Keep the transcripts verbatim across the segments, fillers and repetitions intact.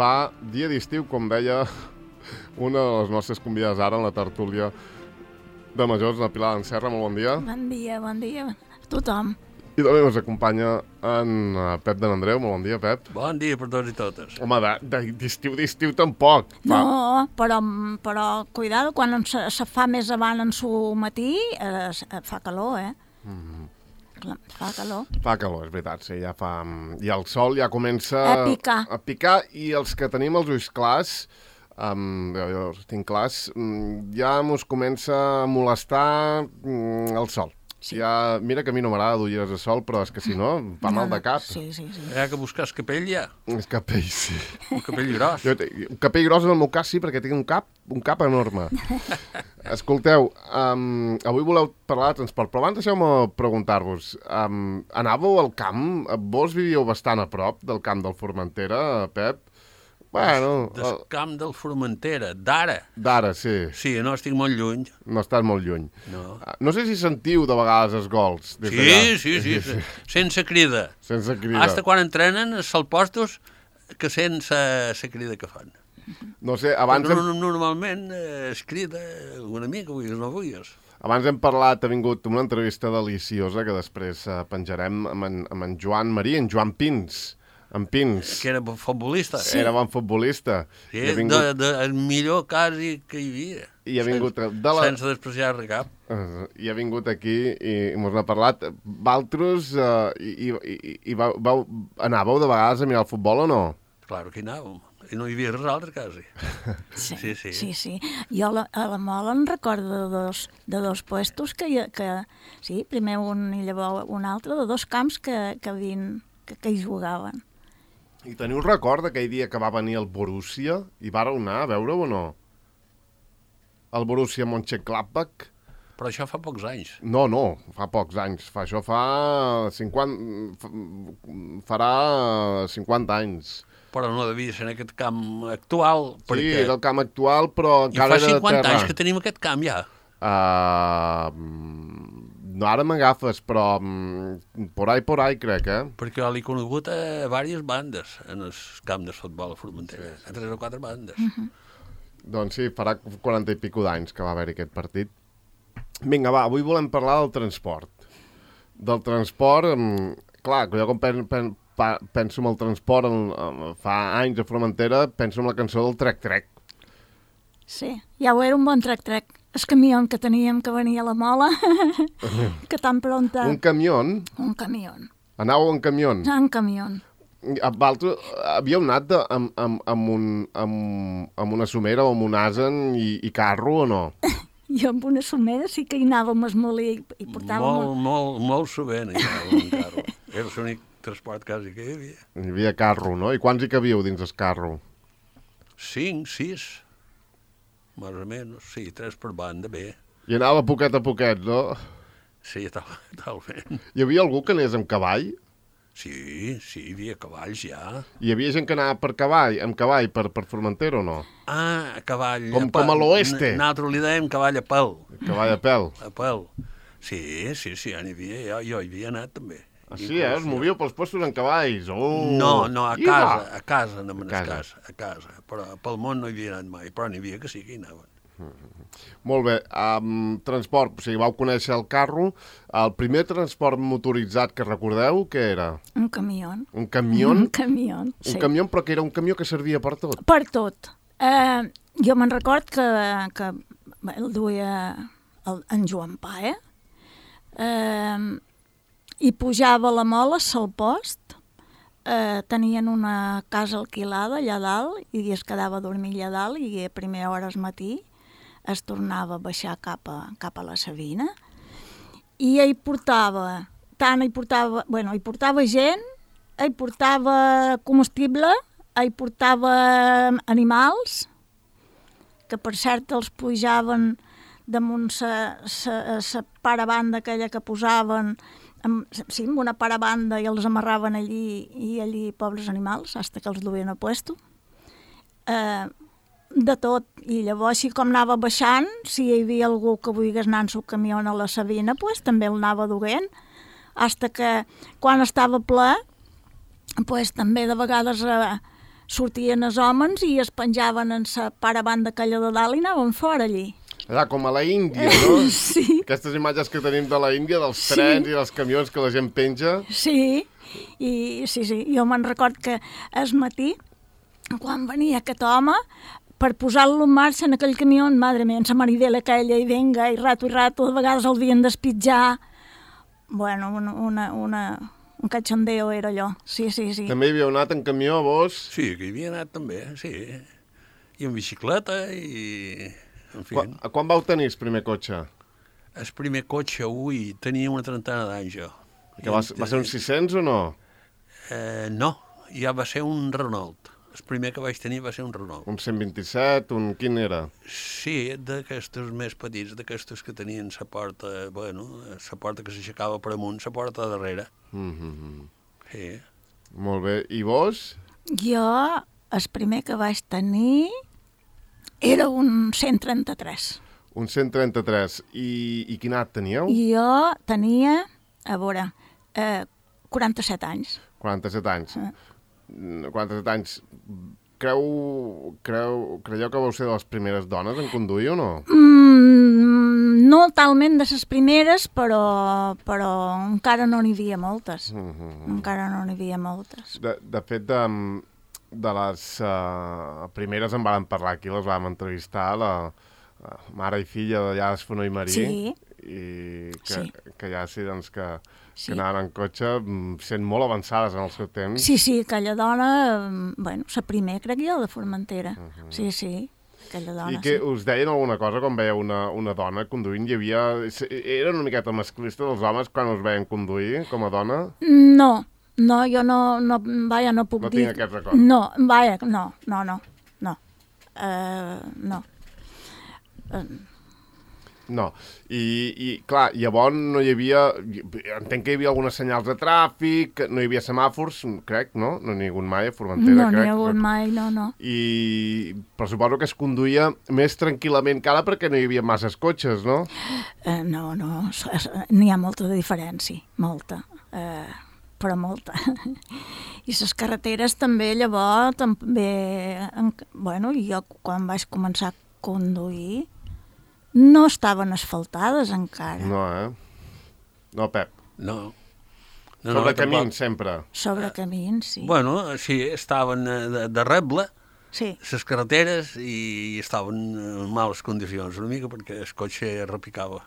fa dia d'estiu, com deia una de les nostres convidades ara en la tertúlia de Majors, la Pilar Anserra. Molt bon dia. Bon dia, bon dia a tothom. I també ens acompanya en Pep de n'Andreu. Molt bon dia, Pep. Bon dia per tots i totes. Home, d'estiu, d'estiu tampoc. Fa... No, però, però cuidado, quan se, se fa més avant en su matí, eh, fa calor, eh? Mm. Clar, fa calor. Fa calor, és veritat, sí, ja fa... I el sol ja comença... A picar. A picar, i els que tenim els ulls clars, um, jo, jo tinc clars, ja mos comença a molestar um, el sol. Sí. Ja, mira que a mi no m'agrada d'ulleres de sol, però és que si no, fa no, mal de cap. Sí, sí, sí. Hi ha que buscar el capell, ja. El capell, sí. Un capell gros. Jo, un capell gros en el meu cas, sí, perquè tinc un cap, un cap enorme. Escolteu, um, avui voleu parlar de transport, però abans deixeu-me preguntar-vos, um, anàveu al camp? Vos vivíeu bastant a prop del camp del Formentera, Pep? Bueno... Del camp del Formentera, d'ara. D'ara, sí. Sí, no estic molt lluny. No estàs molt lluny. No. No sé si sentiu de vegades els gols. Des sí, sí, sí, sí, sense crida. Sense crida. Hasta quan entrenen els salpostos que sense la crida que fan. No sé, abans... No, hem... Normalment eh, es crida una mica, vulguis o no vulguis. Abans hem parlat, ha vingut una entrevista deliciosa que després eh, penjarem amb en, amb en Joan Marí, en Joan Pins. En Pins. Que era futbolista. Sí. Era bon futbolista. Sí, vingut... de, de, el millor quasi que hi havia. I ha vingut... Sense, de la... sense despreciar cap. Uh, I ha vingut aquí i mos n'ha parlat. Valtros, uh, i, i, i vau, vau, anàveu de vegades a mirar el futbol o no? Claro que hi anàvem. I no hi havia res altre, quasi. Sí, sí, sí. sí, sí. Jo a la, a la Mola en recordo de dos, de dos puestos que, que... Sí, primer un i llavors un altre, de dos camps que, que, havien, que, que hi jugaven. I teniu record d'aquell dia que va venir el Borussia i vareu anar a veure-ho o no? El Borussia Mönchengladbach? Però això fa pocs anys. No, no, fa pocs anys. Fa, això fa cinquanta... farà cinquanta anys. Però no devia ser en aquest camp actual. Sí, perquè... era el camp actual, però encara era de terra. I fa cinquanta anys que tenim aquest camp, ja. Uh, no, ara m'agafes, però um, por ahí, por ahí, crec, eh? Perquè jo l'he conegut a diverses bandes en el camp de futbol a Formentera, a tres o quatre bandes. Uh-huh. Doncs sí, farà quaranta i pico d'anys que va haver-hi aquest partit. Vinga, va, avui volem parlar del transport. Del transport, um, clar, jo quan pen, pen, penso en el transport, en, en, fa anys a Formentera, penso en la cançó del Trec-Trec. Sí, ja ho era un bon Trec-Trec. El camió que teníem que venia a la Mola, que tan pronta... Un camió? Un camió. Anàveu en camió? En camió. Vosaltres havíeu anat de, amb, amb, amb, un, amb, amb una somera o amb un asen i, i carro o no? Jo amb una somera sí que hi anàvem a esmolir i portàvem... Molt, un... molt, molt sovint hi anàvem en carro. Era l'únic transport quasi que hi havia. Hi havia carro, no? I quants hi cavíeu dins el carro? Cinc, sis... Més o menys, sí, tres per banda, bé. I anava poquet a poquet, no? Sí, tal, talment. Hi havia algú que anés amb cavall? Sí, sí, hi havia cavalls, ja. Hi havia gent que anava per cavall, amb cavall per, per Formentera o no? Ah, a cavall... Com, a com a l'oeste. Nosaltres li dèiem cavall a pèl. Cavall a pèl. A pèl. Sí, sí, sí, ja n'hi havia, jo, jo hi havia anat també. Ah, sí, eh? Us movíeu pels postos en cavalls. Oh. No, no, a Iva. casa, a casa, no a casa. casa, a casa. Però pel món no hi havia anat mai, però n'hi havia que sí que hi anaven. Mm-hmm. Molt bé, um, transport, o sigui, vau conèixer el carro. El primer transport motoritzat que recordeu, què era? Un camió. Un camió? Un camió, sí. Un camió, però que era un camió que servia per tot. Per tot. Eh, jo me'n record que, que el duia el, en Joan Pae, eh, i pujava a la Mola, al post, eh, tenien una casa alquilada allà dalt i es quedava a dormir allà dalt i a primera hora al matí es tornava a baixar cap a, cap a la Sabina i hi portava, tant hi portava, bueno, hi portava gent, hi portava combustible, hi portava animals, que per cert els pujaven damunt la parabanda aquella que posaven, amb, sí, amb una parabanda i els amarraven allí, i allí pobres animals, fins que els duien a puesto. Eh, de tot, i llavors, així com anava baixant, si hi havia algú que volgués anar en su camió a la Sabina, pues, també el anava duent, fins que quan estava ple, pues, també de vegades eh, sortien els homes i es penjaven en la paravant aquella de dalt i anaven fora allí. Allà, com a la Índia, no? Sí. Aquestes imatges que tenim de la Índia, dels Sí. trens i dels camions que la gent penja. Sí, i sí, sí, jo me'n record que al matí, quan venia aquest home, per posar-lo en marxa en aquell camió, madre mia, en la maridela aquella, i venga, i rato i rato, de vegades el havien d'espitjar. Bueno, una, una, una, un cachondeo era allò, sí, sí, sí. També hi havíeu anat en camió, vos? Sí, que hi havia anat també, sí. I en bicicleta i... En fi, Quan, quan vau tenir el primer cotxe? el primer cotxe, ui, tenia una trentena d'anys jo. Que va, va ser un sis cents o no? Eh, no, ja va ser un Renault. El primer que vaig tenir va ser un Renault. Un cent vint-i-set, un... Quin era? Sí, d'aquestos més petits, d'aquestos que tenien la porta, bueno, la porta que s'aixecava per amunt, la porta de darrere. Mm -hmm. Sí. Molt bé. I vos? Jo, el primer que vaig tenir era un cent trenta-tres. Un cent trenta-tres. I, i quin edat teníeu? Jo tenia, a veure, eh, quaranta-set anys. quaranta-set anys. Ah. quaranta-set anys. Creu, creu, creieu que vau ser de les primeres dones en conduir o no? Mm, no talment de les primeres, però, però encara no n'hi havia moltes. Mm -hmm. Encara no n'hi havia moltes. De, de fet, de, de les uh, primeres en vàrem parlar aquí, les vam entrevistar, la uh, mare i filla d'allà d'Esfonó i Marí, Sí. i que, Sí. que ja sí, doncs, que, Sí. que anaven en cotxe mm, sent molt avançades en el seu temps. Sí, sí, aquella dona, eh, bueno, la primer, crec jo, de Formentera. Sí, sí, aquella dona, I que sí. us deien alguna cosa quan veieu una, una dona conduint? Hi havia... Era una miqueta masclista dels homes quan us veien conduir com a dona? No, no, jo no, no, vaja, no puc No dir... tinc aquest record. No, vaja, no, no, no, no. Uh, no. Uh, No. I, i, clar, llavors no hi havia... Entenc que hi havia algunes senyals de tràfic, no hi havia semàfors, crec, no? No n'hi ha hagut mai a Formentera, no n'hi crec. ha hagut mai, no, no. I... Però suposo que es conduïa més tranquil·lament que ara perquè no hi havia masses cotxes, no? Uh, no, no, s- s- n'hi ha molta diferència, molta, uh, però molta. I les carreteres també, llavors, també... En, bueno, jo quan vaig començar a conduir no estaven asfaltades encara. No, eh? No, Pep. No. No, Sobre camins, sempre. Sobre camins, sí. Bueno, sí, estaven eh, de, de reble, Sí, les carreteres, i estaven en males condicions, una mica, perquè el cotxe repicava,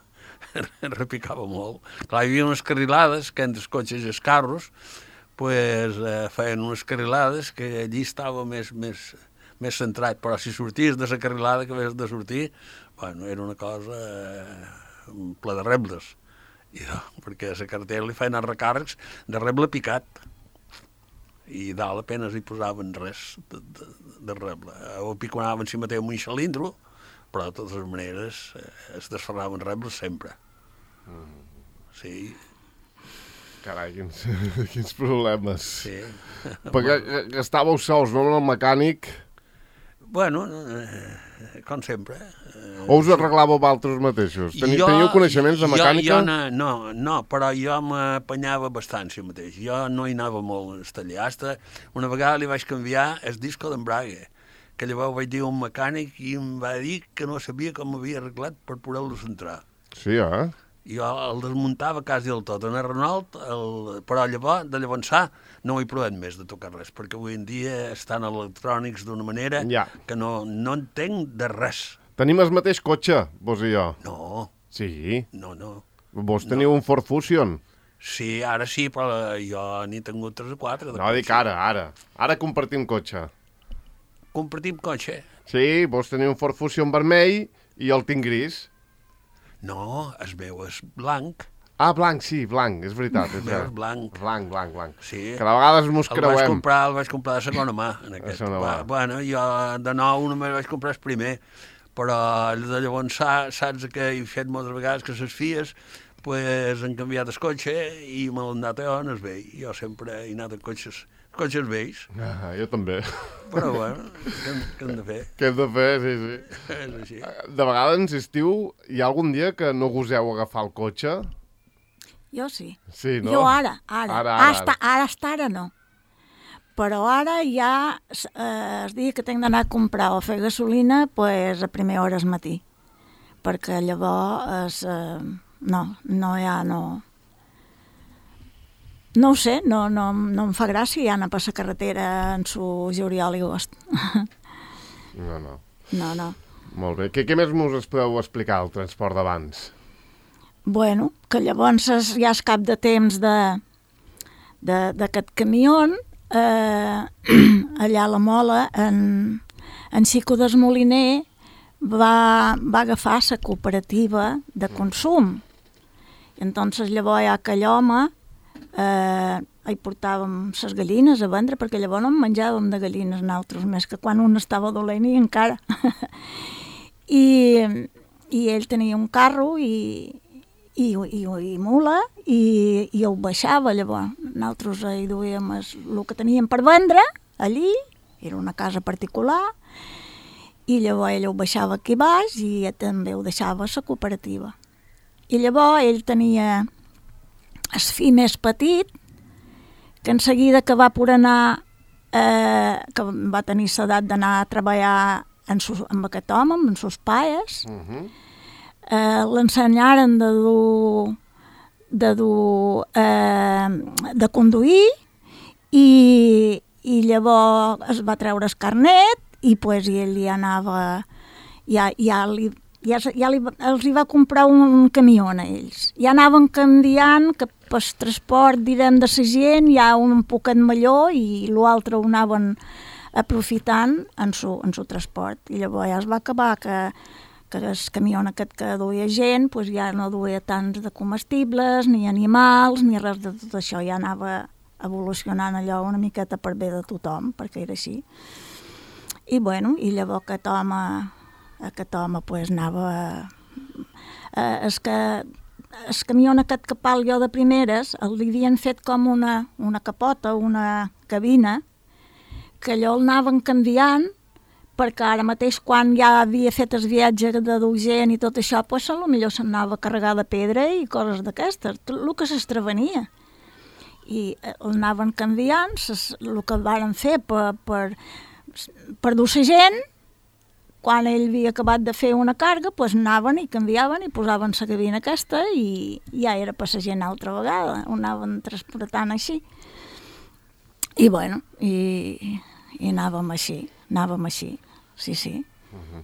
repicava molt. Clar, hi havia unes carrilades que entre els cotxes i els carros, pues, eh, feien unes carrilades que allí estava més, més, més centrat, però si sorties de la carrilada que havies de sortir, bueno, era una cosa eh, ple de rebles. I, no, perquè a la carretera li feien els recàrrecs de reble picat. I dalt apenas hi posaven res de, de, de reble. O piconaven si mateix amb un cilindro, però de totes maneres eh, es desferraven rebles sempre. Sí, Carai, quins, quins problemes. sí. Perquè eh, estàveu sols, no, amb el mecànic? Bueno, eh, com sempre. Eh, O us arreglàveu vosaltres mateixos? Teni, Jo- Teniu coneixements de mecànica? Jo, jo no, no, no, però jo m'apanyava bastant si mateix. Jo no hi anava molt al taller. Hasta una vegada li vaig canviar el disco d'embrague, que llavors vaig dir a un mecànic i em va dir que no sabia com m'havia arreglat per poder-lo centrar. Sí, eh? Jo el desmuntava quasi del tot. En el Renault, el... però llavors, de llavors sa, no ho he provat més de tocar res, perquè avui en dia estan electrònics d'una manera Ja. que no, no entenc de res. Tenim el mateix cotxe, vos i jo. No, Sí. no, no. Vos teniu un Ford Fusion. Sí, ara sí, però jo n'he tingut tres o quatre. de No, dic cotxe. ara, ara. Ara compartim cotxe. Compartim cotxe? Sí, vos teniu un Ford Fusion vermell i jo el tinc gris. No, el meu és blanc. Ah, blanc, sí, blanc, és veritat. És El meu és cert. blanc. Blanc, blanc, blanc. Sí. Que de vegades mos El vaig creuem. comprar, el vaig comprar de segona mà, en aquest. segona mà. Va, bueno, jo de nou només vaig comprar el primer, però de llavors sa- saps que he fet moltes vegades que les filles pues, han canviat el cotxe i me l'han dat jo en el vell. Jo sempre he anat en cotxes, cotxes vells, Ah, jo també. però bueno, què, hem- què hem de fer? Què hem de fer? Sí, sí. És així. De vegades ens estiu, hi ha algun dia que no goseu agafar el cotxe? jo sí. Sí, no? Jo ara, ara. Ara, ara, Hasta, ara, hasta ara no. Però ara ja, eh, el dia que tinc d'anar a comprar o a fer gasolina, pues, a primera hora del matí. Perquè llavors, eh, no, no hi ha, no... No ho sé, no, no, no em fa gràcia anar per la carretera en su juliol i agost. No, no. No, no. Molt bé. Què, què més us podeu explicar, el transport d'abans? Bueno, que llavors es, ja és cap de temps de d'aquest camió, eh, allà a la Mola, en, en Xico Desmoliner va, va agafar la cooperativa de consum. I entonces llavors ja aquell home eh, hi portàvem les gallines a vendre, perquè llavors no en menjàvem de gallines nosaltres, més que quan un estava dolent i encara. I, i ell tenia un carro i, i, i, i mula i, i ho baixava. Llavors nosaltres hi duíem el, el que teníem per vendre allí, era una casa particular, i llavors ell ho baixava aquí baix i també ho deixava a la cooperativa. I llavors ell tenia el fill més petit, que en seguida que va por anar, eh, que va tenir l'edat d'anar a treballar en sus, amb aquest home, amb els seus pares, uh-huh. eh, l'ensenyaren de dur, de dur, eh, de conduir, i, i llavors es va treure el carnet i pues, i ell ja anava, ja, ja, li, ja, ja li, els hi va comprar un camió a ells. Ja anaven canviant que pel transport, direm, de la gent, hi ha un poquet millor i l'altre ho anaven aprofitant en su, en su transport. I llavors ja es va acabar que, que el camió aquest que duia gent pues ja no duia tants de comestibles, ni animals, ni res de tot això. Ja anava evolucionant allò una miqueta per bé de tothom, perquè era així. I bueno, i llavors aquest home, aquest home pues anava... Eh, és que el camió aquest que parlo jo de primeres, li havien fet com una, una capota, una cabina, que allò el anaven canviant, perquè ara mateix quan ja havia fet el viatge de dur gent i tot això, pues, potser s'anava a carregar de pedra i coses d'aquestes, el que s'estrevenia. I el anaven canviant, el que varen fer per, per, per dur la gent, quan ell havia acabat de fer una carga, pues anaven i canviaven i posaven la cabina aquesta i ja era per la gent altra vegada, ho anaven transportant així. I bueno, i, i anàvem així, anàvem així, sí, sí. Uh-huh.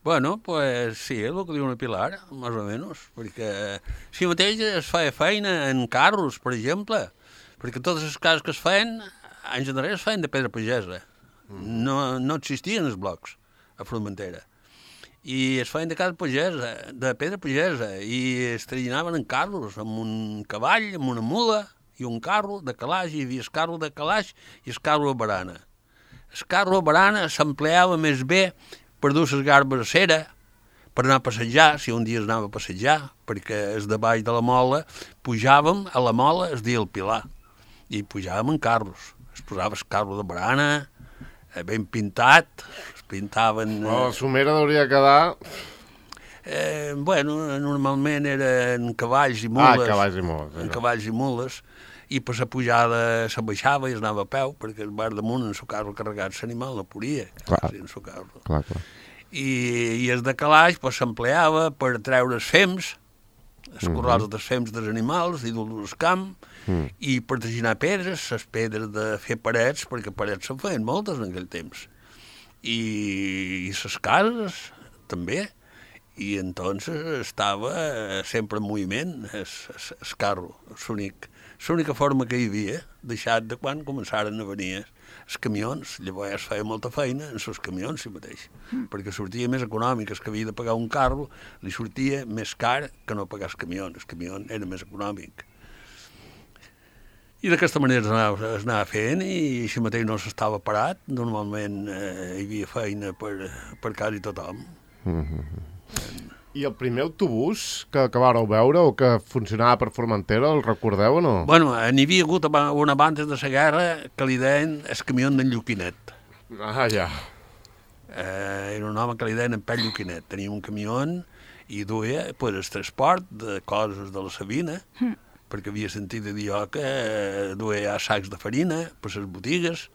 Bueno, pues sí, és el que diu una Pilar, més o menys, perquè si mateix es feia feina en carros, per exemple, perquè totes les cases que es feien, anys enrere es feien de pedra pagesa. No, no existien els blocs a Formentera. I es feien de casa pagesa, de pedra pagesa, i es trallinaven en carros, amb un cavall, amb una mula, i un carro de calaix, hi havia el carro de calaix i el carro a barana. El carro a barana s'empleava més bé per dur les garbes a cera, per anar a passejar, si un dia es anava a passejar, perquè es de baix de la mola, pujàvem a la mola es dia el Pilar, i pujàvem en carros. Es posava el carro de barana, ben pintat, es pintaven... Oh, la somera hauria de quedar... Eh, bueno, normalment eren cavalls i mules. Ah, cavalls i mules. En cavalls i mules, i per la pujada se baixava i es anava a peu, perquè el bar damunt en el carro carregat l'animal no podia. Clar, en el carro. clar, clar. I, i el de calaix pues, s'empleava per treure els fems, els corrals dels fems dels animals i dur-los al camp, mm. i per traginar pedres, les pedres de fer parets, perquè parets se'n feien moltes en aquell temps. I, i les cases, també. I entonces estava sempre en moviment, el carro, l'única forma que hi havia, deixat de quan començaren a venir els camions. Llavors es feia molta feina en els camions si mateix, mm. perquè sortia més econòmic. El que havia de pagar un carro li sortia més car que no pagar el camió. El camió era més econòmic. I d'aquesta manera es anava, es anava fent i així mateix no s'estava parat. Normalment eh, hi havia feina per, per quasi tothom. Mm-hmm. I el primer autobús que, que vareu veure o que funcionava per Formentera, el recordeu o no? Bueno, n'hi havia hagut una abans de la guerra que li deien el camió d'en Lluquinet. Ah, ja. Eh, era un home que li deien en Pell Lluquinet. Tenia un camió i duia pues, el transport de coses de la Sabina, mm. perquè havia sentit a dir jo que duia sacs de farina per les botigues,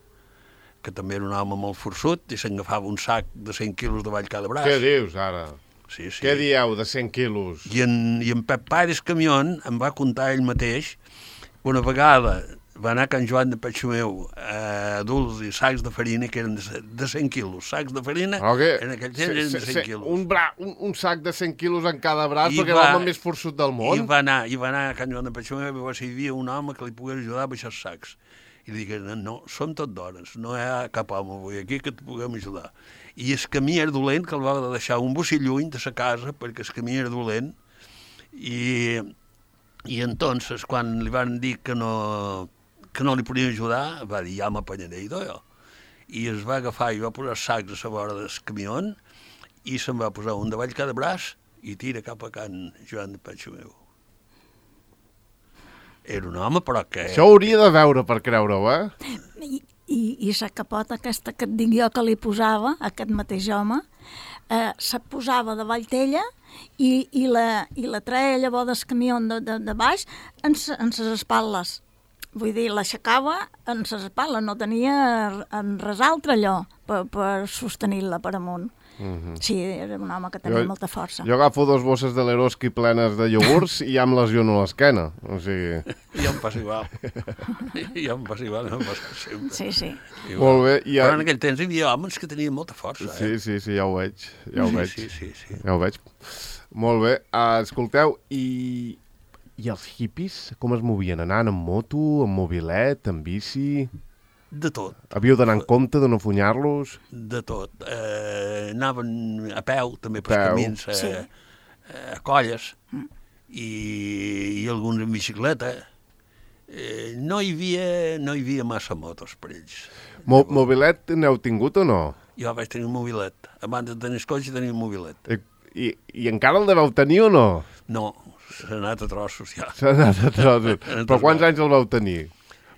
que també era un home molt forçut, i s'agafava un sac de cent quilos de vall cada braç. Què dius, ara? Sí, sí. Què dieu, de cent quilos? I en, i en Pep Pares Camión em va contar ell mateix que una vegada va anar a Can Joan de Patxomeu a dur-los sacs de farina que eren de, de cent quilos. Sacs de farina, okay. En aquell temps eren de cent quilos. Un, bra, un, un sac de cent quilos en cada braç, I perquè va, era l'home més forçut del món. I va anar, i va anar a Can Joan de Patxomeu i va ser hi havia un home que li pogués ajudar a baixar els sacs. I li digué, no, som tot dones, no hi ha cap home avui aquí que et puguem ajudar. I el camí era dolent, que el va deixar un bocí lluny de sa casa, perquè el camí era dolent, i, i entonces, quan li van dir que no, que no li podien ajudar, va dir, ja m'apanyaré idò, jo. I es va agafar i va posar sacs a la vora del camió i se'n va posar un davall cada braç i tira cap a Can Joan de Patxomeu. Era un home, però que... Això ho hauria de veure per creure-ho, eh? I, i, i la capota aquesta que et dic jo que li posava, aquest mateix home, eh, se posava davall d'ella i, i, la, i la treia llavors del camió de, de, de baix en, en ses espatlles. Vull dir, l'aixecava en ses espatlles, no tenia en res altre allò per, per sostenir-la per amunt. Mm-hmm. Sí, era un home que tenia jo, molta força. Jo agafo dos bosses de l'Eroski plenes de iogurts i ja em lesiono l'esquena. O sigui... I em passa igual. I em passa igual, em passa sempre. Sí, sí. Igual. Molt bé. I ja... Però en aquell temps hi havia homes que tenien molta força. Eh? Sí, sí, sí, ja ho veig. Ja ho sí, veig. Sí, sí, sí. Ja ho veig. Molt bé. Uh, escolteu, i... i els hippies com es movien? Anaven en moto, en mobilet, en bici... De tot. Havíeu d'anar en compte de no funyar-los? De tot. Eh, anaven a peu, també pels camins, a, sí. a colles, mm. i, i alguns en bicicleta. Eh, no, hi havia, no hi havia massa motos per ells. Mo mobilet n'heu tingut o no? Jo vaig tenir un mobilet. Abans de tenir el cotxe tenia un mobilet. I, i, i encara el deveu tenir o no? No, s'ha anat a trossos ja. S'ha anat a trossos. Però quants anys el vau tenir?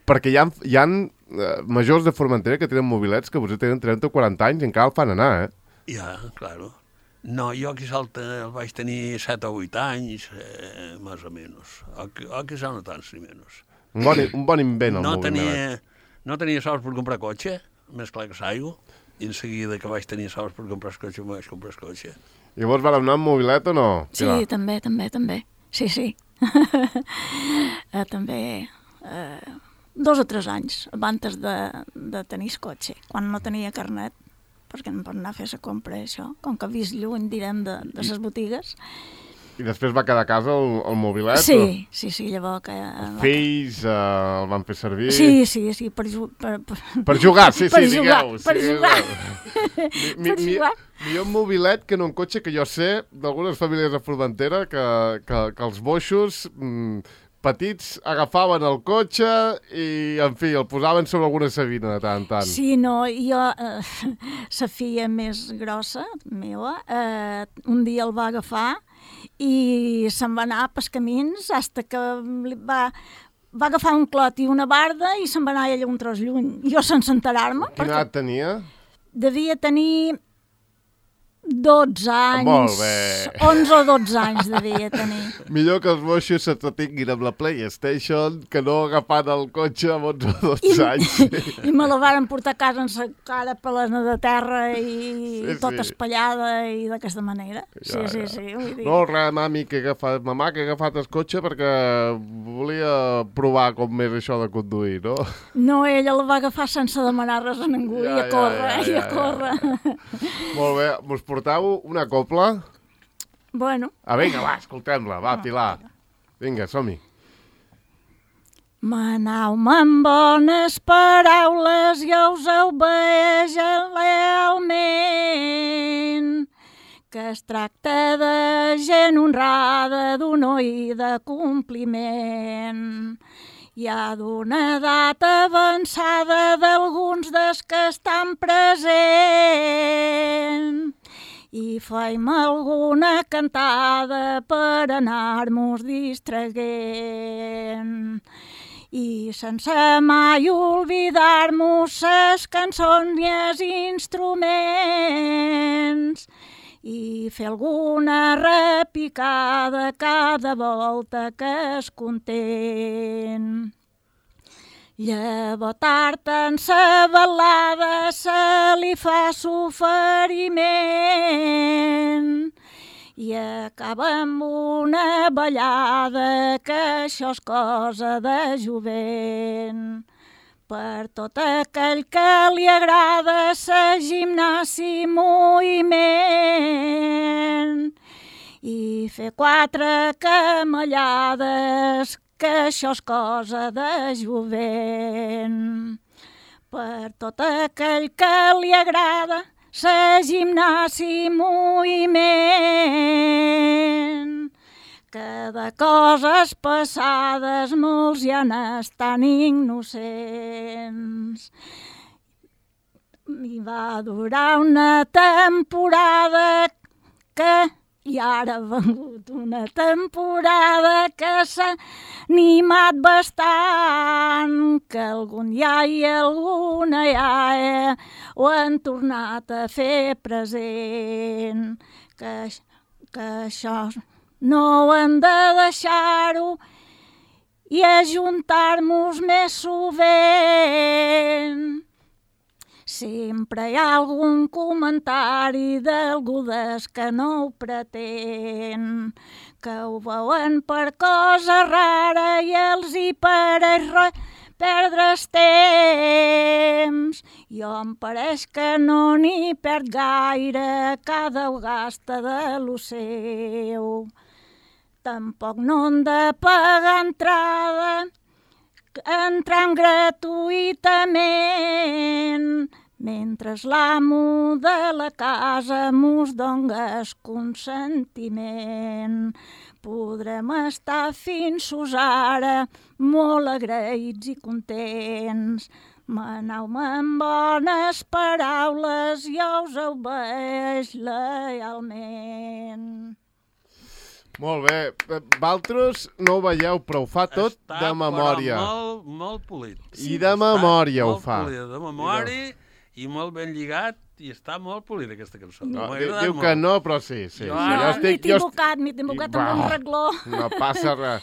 Perquè hi ha, hi ha uh, majors de Formentera que tenen mobilets que potser tenen trenta o quaranta anys i encara el fan anar, eh? Ja, claro. No, jo aquí salta, el vaig tenir set o vuit anys, eh, més o menys. O, o quizá no tants ni menys. Un bon, un bon invent, el no mobilet. Tenia, no tenia sols per comprar cotxe, més clar que s'aigua, i en seguida que vaig tenir sols per comprar el cotxe, em vaig comprar el cotxe. Llavors vam anar amb mobilet o no? Sí, Pilar? també, també, també. Sí, sí. uh, també... Uh... dos o tres anys abans de, de tenir el cotxe, quan no tenia carnet, perquè no pot anar a fer la compra, això, com que vist lluny, direm, de, de les botigues. I després va quedar a casa el, el mobilet? Sí, o... sí, sí, llavors que... Els fills uh, el van fer servir? Sí, sí, sí, per, per, per... per jugar, sí, sí, per jugar, digueu. Per sí, jugar, mi, per mi, jugar. Millor un mobilet que no un cotxe, que jo sé d'algunes famílies de Formentera que, que, que els boixos... Mm, petits agafaven el cotxe i, en fi, el posaven sobre alguna sabina de tant en tant. Sí, no, jo, eh, la filla més grossa, meva, eh, un dia el va agafar i se'n va anar pels camins fins que va, va agafar un clot i una barda i se'n va anar ella un tros lluny. Jo sense enterar-me. Quina edat tenia? Devia tenir dotze anys, molt bé. onze o dotze anys devia tenir. Millor que els moixos s'entretinguin amb la PlayStation que no agafant el cotxe amb onze o dotze I, anys. I me la varen portar a casa amb la cara plena de terra i sí, tota sí. espallada i d'aquesta manera. Sí, ja, sí, ja. sí. Vull dir. No, res, mami, que he agafat, mamà, que he agafat el cotxe perquè volia provar com és això de conduir, no? No, ella el va agafar sense demanar res a ningú ja, i a córrer, ja, ja, ja, i a córrer. Ja. Molt bé, mos portau una copla? Bueno. Ah, vinga, va, escoltem-la, va, Pilar. Vinga, som-hi. Manau-me amb bones paraules, jo us obeeix lealment, que es tracta de gent honrada, d'honor i de compliment. Hi ha d'una edat avançada d'alguns dels que estan presents i faim alguna cantada per anar-nos distraient. I sense mai oblidar-nos ses cançons i els instruments i fer alguna repicada cada volta que es content. Llavors tard en sa balada se li fa s'oferiment i acaba amb una ballada que això és cosa de jovent. Per tot aquell que li agrada sa gimnàsia i moviment i fer quatre camallades, que això és cosa de jovent. Per tot aquell que li agrada sa gimnàsia i moviment, que de coses passades molts ja n'estan innocents. I va durar una temporada que i ara ha vengut una temporada que s'ha animat bastant, que algun iaia i alguna iaia ho han tornat a fer present, que, que això no ho hem de deixar-ho i ajuntar-nos més sovint. Sempre hi ha algun comentari d'algú des que no ho pretén, que ho veuen per cosa rara i els hi pareix res perdre's temps. Jo em pareix que no n'hi perd gaire, cada ho gasta de lo seu. Tampoc no han de pagar entrada, entrant gratuïtament, mentre l'amo de la casa mos dongués consentiment. Podrem estar fins ara molt agraïts i contents. Maneu-me amb bones paraules, jo us obeix lealment. Molt bé. Valtros no ho veieu, però ho fa tot Està, de memòria. Està molt, molt polit. I de memòria ho fa. Molt polit, de memòria i molt ben lligat, i està molt polit aquesta cançó. No, M'ha diu agradat diu molt. que no, però sí. sí, Jo sí. ara- Jo M'he estic, jo estic... equivocat, m'he equivocat amb un regló. No passa res.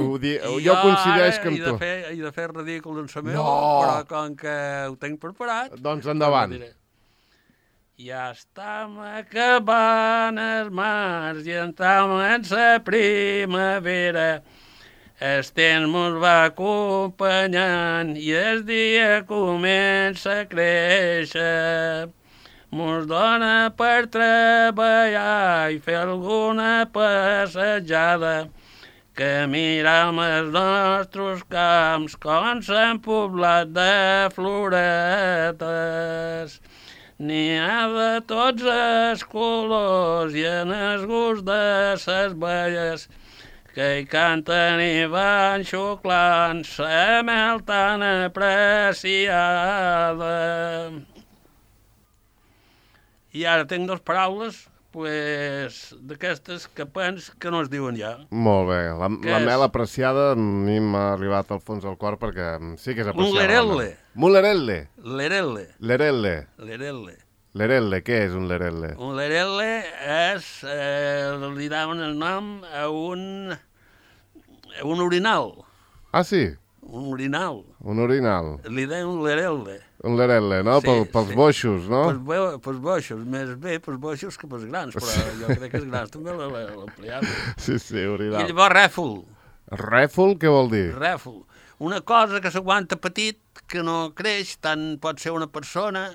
Ho di... I Jo coincideix ara que amb he tu. de fer, he de fer ridícul en sa meu, No. però com que ho tenc preparat... Doncs endavant. ho diré. Ja estem acabant els mars i entrem en la primavera. El temps mos va acompanyant i el dia comença a créixer. Mos dona per treballar i fer alguna passejada, que mirem els nostres camps com s'han poblat de floretes. N'hi ha de tots els colors i en el gust de ses belles, que hi canten i van xuclant la mel tan apreciada. I ara tinc dues paraules, pues, d'aquestes que pens que no es diuen ja. Molt bé. La, Què la és? mel apreciada a mi m'ha arribat al fons del cor perquè sí que és apreciada. Un lerelle. Un lerelle. Lerelle. Lerelle. Lerelle. Lerelle, què és un lerelle? Un lerelle és, eh, li daven el nom a un, a un orinal. Ah, sí? Un orinal. Un orinal. Li deien un lerelle. Un lerelle, no? Sí, Pel, pels sí. boixos, no? Pels, bo- pels boixos, més bé pels boixos que pels grans, però jo crec que els grans també l'ampliaven. Sí, sí, I orinal. llavors rèfol. Rèfol, què vol dir? Rèfol. Una cosa que s'aguanta petit, que no creix, tant pot ser una persona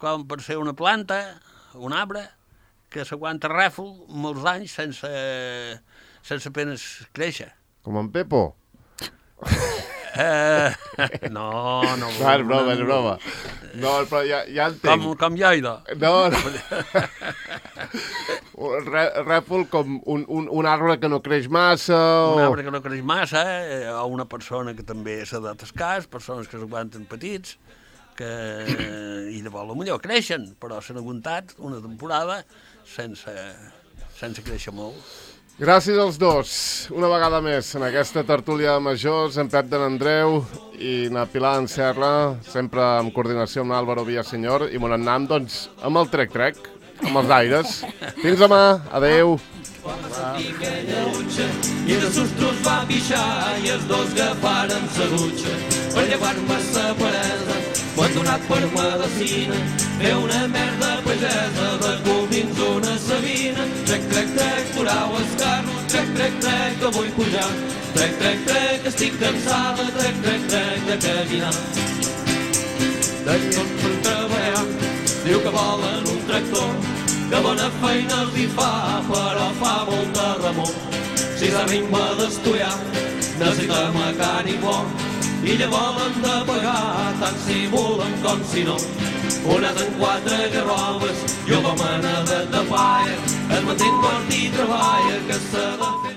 com pot ser una planta, un arbre, que s'aguanta rèfol molts anys sense, sense apenes créixer. Com en Pepo? Eh, no, no. No, és broma, és broma. No, però ja, ja entenc. Com, com Lleida. No, no. Un Rè, rèfol com un, un, un arbre que no creix massa o... Un arbre que no creix massa, eh, o una persona que també s'ha de tascar, persones que s'aguanten petits, que i llavors potser creixen, però s'han aguantat una temporada sense, sense créixer molt. Gràcies als dos, una vegada més, en aquesta tertúlia de majors, en Pep de l'Andreu i na Pilar en Serra, sempre en coordinació amb l'Àlvaro Villaseñor, i mon annam, doncs, amb el trec-trec. amb els aires. Fins demà, adeu. I de sostros va pixar i els dos agafaren sa dutxa per llevar-me sa peresa, abandonat per medecina, fer una merda pagesa, de comins una sabina. Trec, trec, trec, durau el carro, trec, trec, trec, que vull pujar, trec, trec, trec, estic cansada, trec, trec, trec, de caminar. De tot per treballar, diu que volen un tractor, que bona feina els hi fa, però fa molt de remor. Si s'anima d'estudiar, necessita mecànic bo, i ja volen de pagar, tant si volen com si no. Unes en quatre garrobes, jo com a nedet de paia, es manté fort i treballa, que s'ha de fer.